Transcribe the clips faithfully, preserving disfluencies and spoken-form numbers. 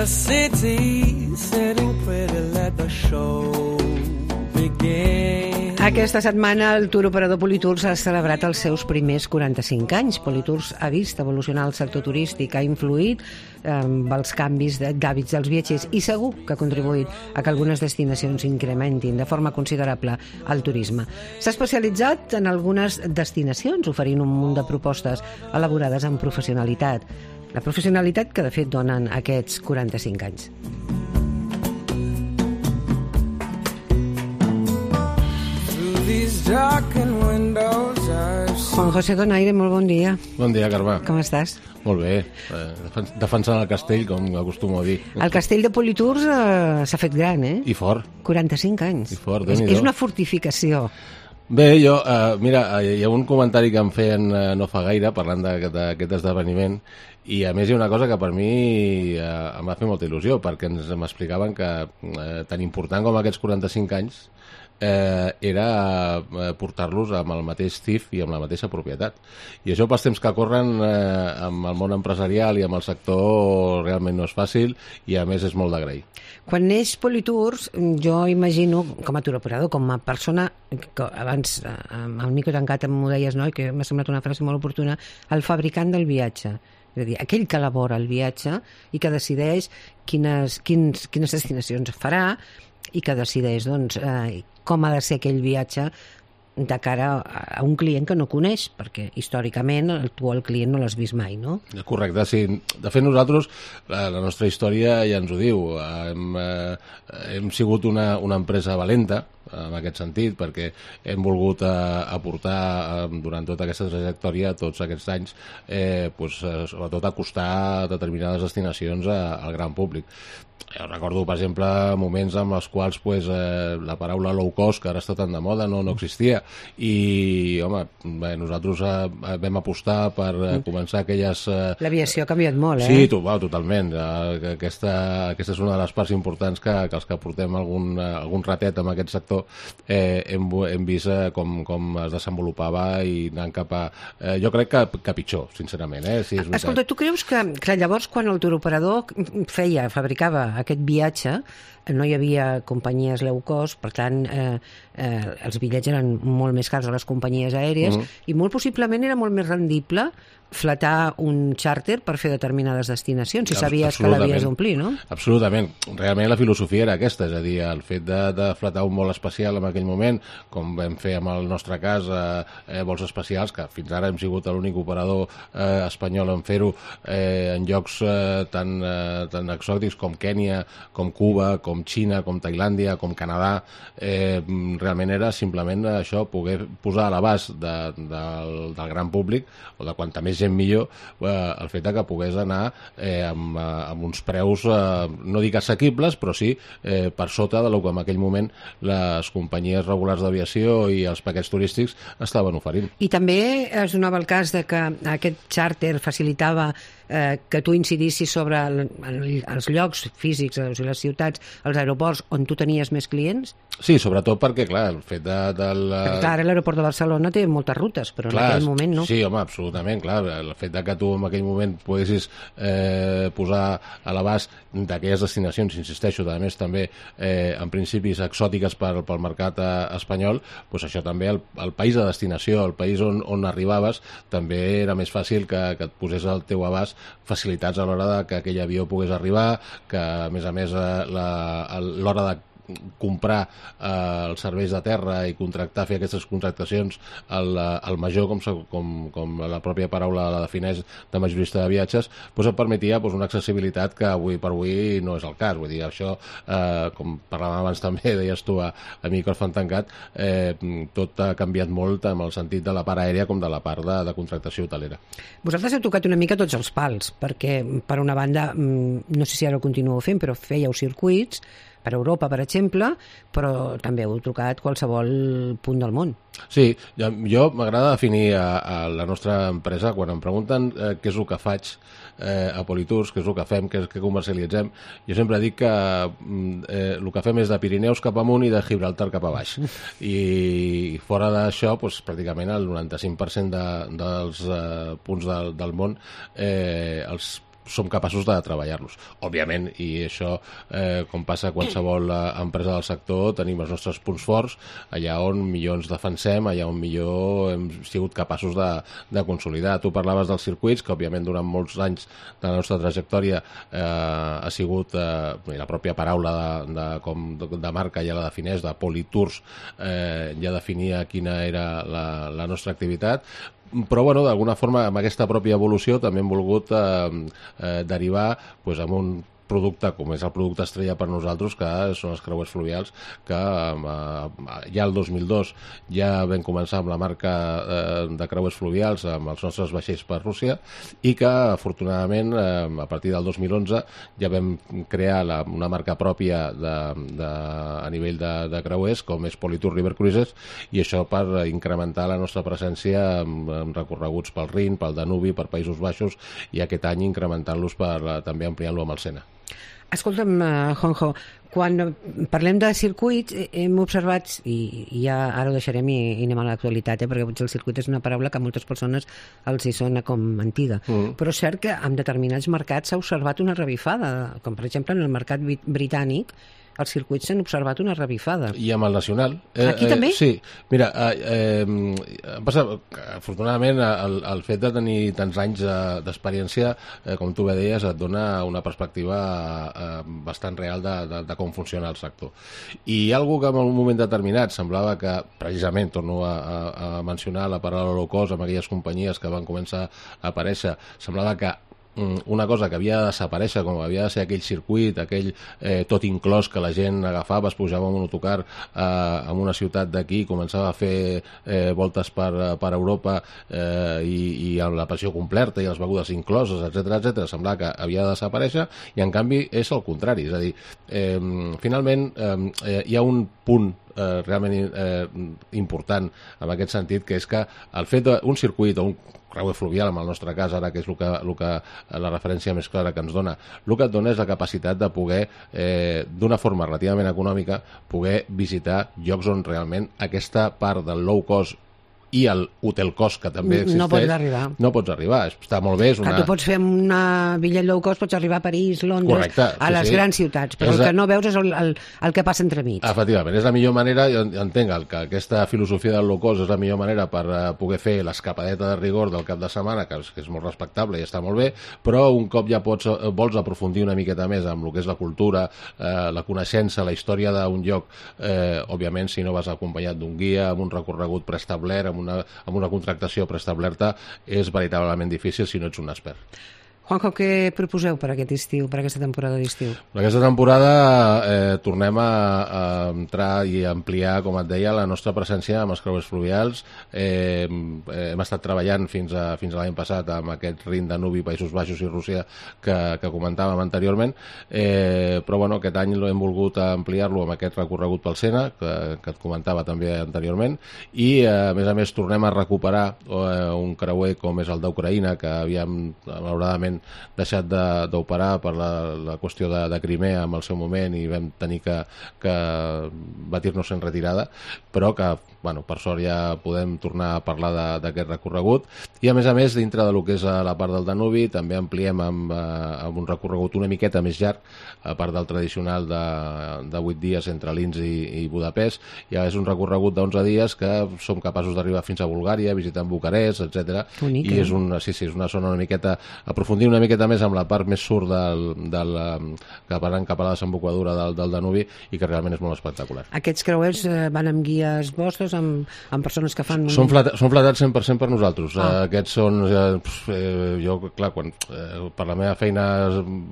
the city, sitting pretty, let the show begin. Aquesta setmana el Tour Operador Politours ha celebrat els seus primers quaranta-cinc anys. Politours ha vist evolucionar el sector turístic, ha influït amb els canvis d'hàbits dels viatgers i segur que ha contribuït a que algunes destinacions incrementin de forma considerable el turisme. S'ha especialitzat en algunes destinacions, oferint un munt de propostes elaborades amb professionalitat. La professionalitat que, de fet, donen aquests quaranta-cinc anys. Juan José Donaire, molt bon dia. Bon dia, Carme. Com estàs? Molt bé, eh, defensant el castell, com acostumo a dir. El castell de Politours eh, s'ha fet gran, eh? I fort. quaranta-cinc anys. I fort, és, Déu-n'hi-do. és una fortificació. Bé, jo, eh, mira, hi ha un comentari que em feien eh, no fa gaire, parlant d'aquest esdeveniment, i a més hi ha una cosa que per mi eh, em va fer molta il·lusió, perquè ens m'explicaven que eh, tan important com aquests quaranta-cinc anys eh, era eh, portar-los amb el mateix C I F i amb la mateixa propietat. I això pels temps que corren eh, amb el món empresarial i amb el sector realment no és fàcil i a més és molt d'agrair. Quan neix Politours, jo imagino, com a touroperador, com a persona, que abans amb el micro tancat m'ho deies, no? I que m'ha semblat una frase molt oportuna, el fabricant del viatge. És a dir, aquell que elabora el viatge i que decideix quines, quins, quines destinacions farà i que decideix doncs, eh, com ha de ser aquell viatge de cara a un client que no coneix, perquè històricament tu el client no l'has vist mai, no? Correcte, sí. De fet, nosaltres, la, la nostra història ja ens ho diu. Hem, eh, hem sigut una, una empresa valenta, en aquest sentit, perquè hem volgut eh, aportar eh, durant tota aquesta trajectòria, tots aquests anys, eh, pues, eh, sobretot acostar determinades destinacions a, al gran públic. Jo recordo, per exemple, moments en els quals pues, eh, la paraula low cost, que ara està tan de moda, no, no existia. I, home, bé, nosaltres eh, vam apostar per eh, començar aquelles... Eh... L'aviació ha canviat molt, eh? Sí, to, wow, totalment. Eh, aquesta, aquesta és una de les parts importants que, que els que portem algun, eh, algun ratet en aquest sector eh, hem, hem vist eh, com, com es desenvolupava i anant cap a... Eh, jo crec que, que pitjor, sincerament. Eh? Sí, és Escolta, tu creus que, que llavors quan el touroperador feia, fabricava aquest viatge, no hi havia companyies low cost, per tant eh, eh, els bitllets eren molt més cars a les companyies aèries mm-hmm. i molt possiblement era molt més rendible flatar un xàrter per fer determinades destinacions, si sabies que l'havies d'omplir, no? Absolutament. Realment la filosofia era aquesta, és a dir, el fet de, de flatar un vol especial en aquell moment, com vam fer amb el nostre cas, eh, vols especials, que fins ara hem sigut l'únic operador eh, espanyol en fer-ho eh, en llocs eh, tan, eh, tan exòtics com Kènia, com Cuba, com Xina, com Tailàndia, com Canadà. Eh, realment era simplement això, poder posar a l'abast de, del, del gran públic, o de quanta més gent millor, eh, el fet que pogués anar eh, amb, amb uns preus, eh, no dic assequibles, però sí eh, per sota de lo que en aquell moment les companyies regulars d'aviació i els paquets turístics estaven oferint. I també es donava el cas de que aquest xàrter facilitava eh, que tu incidissis sobre el, el, els llocs físics, o sigui, les ciutats, els aeroports on tu tenies més clients? Sí, sobretot perquè, clar, el fet de... del, perquè, clar, ara l'aeroport de Barcelona té moltes rutes, però clar, en aquell moment no. Sí, home, absolutament, clar. El fet de que tu en aquell moment poguessis eh, posar a l'abast d'aquelles destinacions, insisteixo, a més també eh, en principis exòtiques per, pel mercat eh, espanyol, doncs això també, el, el país de destinació, el país on, on arribaves, també era més fàcil que, que et posés al teu abast facilitats a l'hora de que aquell avió pogués arribar, que a més a més eh, l'hora de comprar eh, els serveis de terra i contractar, fer aquestes contractacions al, al major, com, com, com la pròpia paraula la defineix, de majorista de viatges, doncs et permetia doncs, una accessibilitat que avui per avui no és el cas. Vull dir, això, eh, com parlàvem abans també, deies tu a, a micròfon tancat, eh, tot ha canviat molt en el sentit de la part aèria com de la part de, de contractació hotelera. Vosaltres heu tocat una mica tots els pals, perquè per una banda, no sé si ara ho continuo fent, però fèieu circuits per Europa, per exemple, però també heu trucat qualsevol punt del món. Sí, jo m'agrada definir a, a la nostra empresa, quan em pregunten eh, què és el que faig eh, a Politours, què és el que fem, què, què comercialitzem, jo sempre dic que eh, el que fem és de Pirineus cap amunt i de Gibraltar cap a baix. I fora d'això, doncs, pràcticament el noranta-cinc per cent de, dels eh, punts del, del món eh, els som capaços de treballar-los. Òbviament, i això, eh, com passa a qualsevol empresa del sector, tenim els nostres punts forts, allà on millor ens defensem, allà on millor hem sigut capaços de, de consolidar. Tu parlaves dels circuits, que òbviament durant molts anys de la nostra trajectòria eh, ha sigut, eh, la pròpia paraula de, de, com de, de marca ja la defineix, de Politours, eh, ja definia quina era la, la nostra activitat, però bueno, d'alguna forma amb aquesta pròpia evolució també hem volgut eh, eh, derivar pues, amb un producte com és el producte estrella per nosaltres, que són els creuers fluvials, que eh, ja el dos mil dos ja vam començar amb la marca eh, de creuers fluvials amb els nostres vaixells per Rússia, i que afortunadament eh, a partir del dos mil onze ja vam crear la, una marca pròpia de, de, a nivell de, de creuers com és Politours River Cruises, i això per incrementar la nostra presència amb, amb recorreguts pel Rin, pel Danubi, per Països Baixos, i aquest any incrementant-los per eh, també ampliant-lo amb el Sena. Escolta'm, uh, Juanjo, quan parlem de circuits hem observat, i, i ja ara ho deixarem i, i anem a l'actualitat, eh, perquè potser el circuit és una paraula que a moltes persones els hi sona com antiga, mm. però és cert que en determinats mercats s'ha observat una revifada, com per exemple en el mercat britànic, els circuits s'han observat una revifada. I amb el nacional. Eh, Aquí eh, també? Sí. Mira, eh, eh, passa, afortunadament, el, el fet de tenir tants anys eh, d'experiència, eh, com tu bé deies, et dona una perspectiva eh, bastant real de, de, de com funciona el sector. I hi ha algú que en un moment determinat semblava que, precisament, torno a, a, a mencionar la paraula low cost amb aquelles companyies que van començar a aparèixer, semblava que una cosa que havia de desaparèixer, com havia de ser aquell circuit, aquell eh, tot inclòs que la gent agafava, es pujava en un autocar eh, en una ciutat d'aquí, començava a fer eh, voltes per, per Europa eh, i, i amb la passió completa i les begudes incloses, etcètera, etcètera, semblava que havia de desaparèixer, i en canvi és el contrari, és a dir, eh, finalment eh, hi ha un punt eh, realment eh, important en aquest sentit, que és que el fet d'un circuit o un creuer fluvial, en el nostre cas, ara que és el que, el que, la referència més clara que ens dona, el que et dona és la capacitat de poder, eh, d'una forma relativament econòmica, poder visitar llocs on realment aquesta part del low cost i el hotel cost, que també existeix, no pots arribar. No pots arribar, està molt bé. És una... Que tu pots fer una bitllet low cost, pots arribar a París, Londres, correcte, a les sí, grans ciutats, però és el la... que no veus és el, el, el que passa entremig. Efectivament, és la millor manera, jo entenc que aquesta filosofia del low cost és la millor manera per uh, poder fer l'escapadeta de rigor del cap de setmana, que és, que és molt respectable i està molt bé, però un cop ja pots, uh, vols aprofundir una miqueta més amb el que és la cultura, uh, la coneixença, la història d'un lloc, eh, òbviament, si no vas acompanyat d'un guia, amb un recorregut preestablert, amb una, amb una contractació preestablerta, és veritablement difícil si no ets un expert. Juanjo, què proposeu per aquest estiu, per aquesta temporada d'estiu? Per aquesta temporada eh, tornem a, a entrar i a ampliar, com et deia, la nostra presència amb els creuers fluvials. Eh, eh, hem estat treballant fins a, fins a l'any passat amb aquest Rin, Danubi, Països Baixos i Rússia que, que comentàvem anteriorment, eh, però bueno, aquest any hem volgut ampliar-lo amb aquest recorregut pel Sena, que, que et comentava també anteriorment, i eh, a més a més tornem a recuperar eh, un creuer com és el d'Ucraïna, que havíem, malauradament, deixat d'operar per la, la qüestió de, de Crimea en el seu moment i vam tenir que, que batir-nos en retirada, però que, bueno, per sort ja podem tornar a parlar d'aquest recorregut. I a més a més, dintre del que és la part del Danubi, també ampliem amb, amb un recorregut una miqueta més llarg, a part del tradicional de, de vuit dies entre Linz i, i Budapest. Ja és un recorregut d'onze dies que som capaços d'arribar fins a Bulgària, visitant Bucarest, etcètera. I és una, sí, sí, és una zona una miqueta, aprofundir una miqueta més amb la part més surt del, del, que van cap a la desembocadura del, del Danubi, i que realment és molt espectacular. Aquests creuers eh, van amb guies vostres, amb, amb persones que fan... Són, flat, són flatats cent per cent per nosaltres. Ah. Eh, aquests són... Eh, jo, clar, quan eh, per la meva feina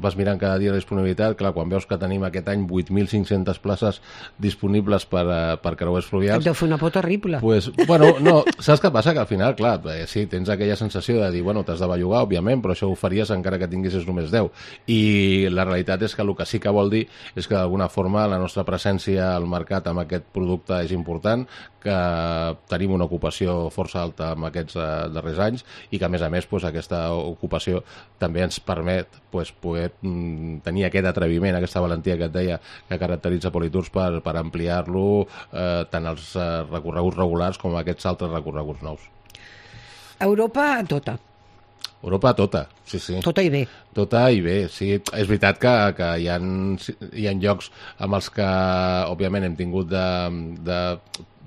vas mirant cada dia la disponibilitat, clar, quan veus que tenim aquest any vuit mil cinc-centes places disponibles per, eh, per creuers fluvials... Et deu fer una por terrible. Pues, bueno, no, saps què passa? Que al final, clar, eh, sí, tens aquella sensació de dir, bueno, t'has de bellugar, òbviament, però això ho faries encara que tinguessis només deu. I la realitat és que el que sí que vol dir és que d'alguna forma la nostra presència al mercat amb aquest producte és important, que tenim una ocupació força alta en aquests eh, darrers anys, i que a més a més pues, aquesta ocupació també ens permet pues, poder mm, tenir aquest atreviment, aquesta valentia que et deia que caracteritza Politours per, per ampliar-lo eh, tant als eh, recorreguts regulars com a aquests altres recorreguts nous. Europa tota. Europa tota, sí, sí. Tota i bé. Tota i bé, sí. És veritat que, que hi, ha, hi ha llocs amb els que, òbviament, hem tingut de, de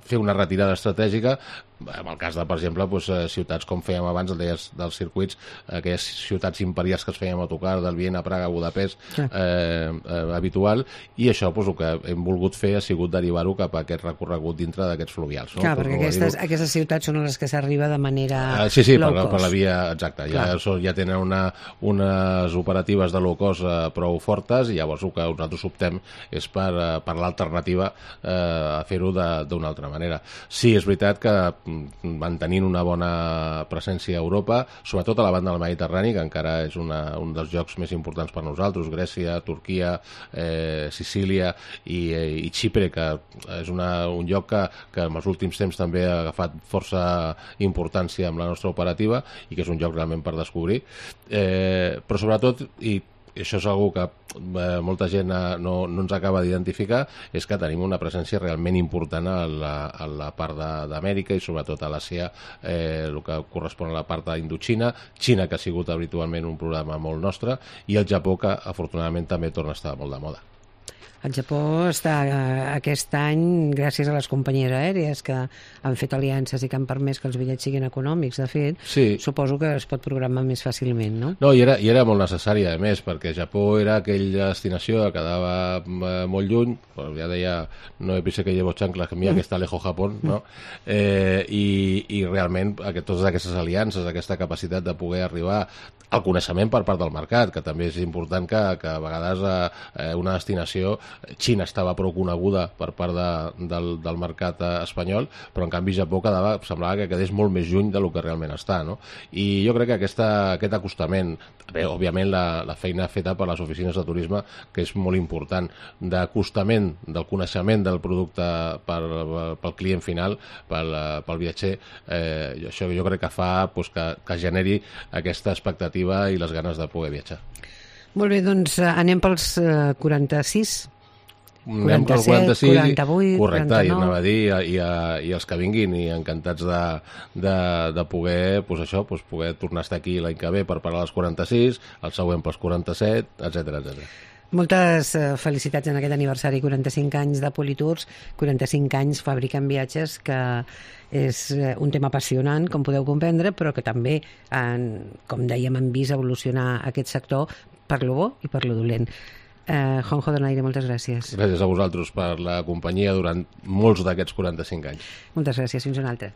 fer una retirada estratègica, en el cas de, per exemple, doncs, ciutats com fèiem abans, el deies dels circuits, aquelles ciutats imperials que es fèiem a tocar, del Viena, Praga, Budapest, sí. eh, eh, habitual, i això, doncs, el que hem volgut fer ha sigut derivar-ho cap a aquest recorregut dintre d'aquests fluvials. No? Clar, perquè aquestes, aquestes ciutats són les que s'arriba de manera uh, sí, sí, low per, cost. Per la via, exacta, ja, so, ja tenen una, unes operatives de low cost uh, prou fortes, i llavors el que nosaltres optem és per, uh, per l'alternativa uh, a fer-ho d'una altra manera. Sí, és veritat que mantenint una bona presència a Europa, sobretot a la banda del Mediterrani, que encara és una, un dels llocs més importants per nosaltres, Grècia, Turquia, eh, Sicília i, i Xipre, que és una, un lloc que, que en els últims temps també ha agafat força importància amb la nostra operativa i que és un lloc realment per descobrir. Eh, però sobretot, i i això és una que eh, molta gent no, no ens acaba d'identificar, és que tenim una presència realment important a la, a la part d'Amèrica i sobretot a l'Àsia, eh, el que correspon a la part d'Indoxina, Xina, que ha sigut habitualment un programa molt nostre, i el Japó, que afortunadament també torna a estar molt de moda. El Japó està aquest any, gràcies a les companyies aèries que han fet aliances i que han permès que els bitllets siguin econòmics, de fet, sí. Suposo que es pot programar més fàcilment, no? No, i era, i era molt necessari, a més, perquè Japó era aquella destinació que quedava molt lluny, bueno, ja deia, no he pensat que llevo chanclas, que mira que està lejos Japón, no? Eh, i, i realment aquest, totes aquestes aliances, aquesta capacitat de poder arribar al coneixement per part del mercat, que també és important que, que a vegades eh, una destinació, Xina estava prou coneguda per part de, del, del mercat espanyol, però en canvi Japó quedava, semblava que quedés molt més lluny del que realment està, no? I jo crec que aquesta, aquest acostament, bé, òbviament la, la feina feta per les oficines de turisme, que és molt important, d'acostament del coneixement del producte per, pel client final, pel, pel viatger, eh, això jo crec que fa pues, que, que generi aquesta expectativa i les ganes de poder viatjar. Molt bé, doncs anem pels uh, quaranta-sis. Anem pel quaranta-sis, quaranta-vuit, correcte, quaranta-nou. I anava a dir, i, a, i els que vinguin, i encantats de, de, de poder, pues això, pues poder tornar a estar aquí l'any que ve per parlar dels quaranta-sis, el següent pels quaranta-set, etcètera, etcètera. Moltes uh, felicitats en aquest aniversari, quaranta-cinc anys de Politours, quaranta-cinc anys fabricant viatges, que és uh, un tema apassionant, com podeu comprendre, però que també, en, com dèiem, hem vist evolucionar aquest sector per lo bo i per lo dolent. Uh, Juanjo Donaire, moltes gràcies. Gràcies a vosaltres per la companyia durant molts d'aquests quaranta-cinc anys. Moltes gràcies, fins una altra.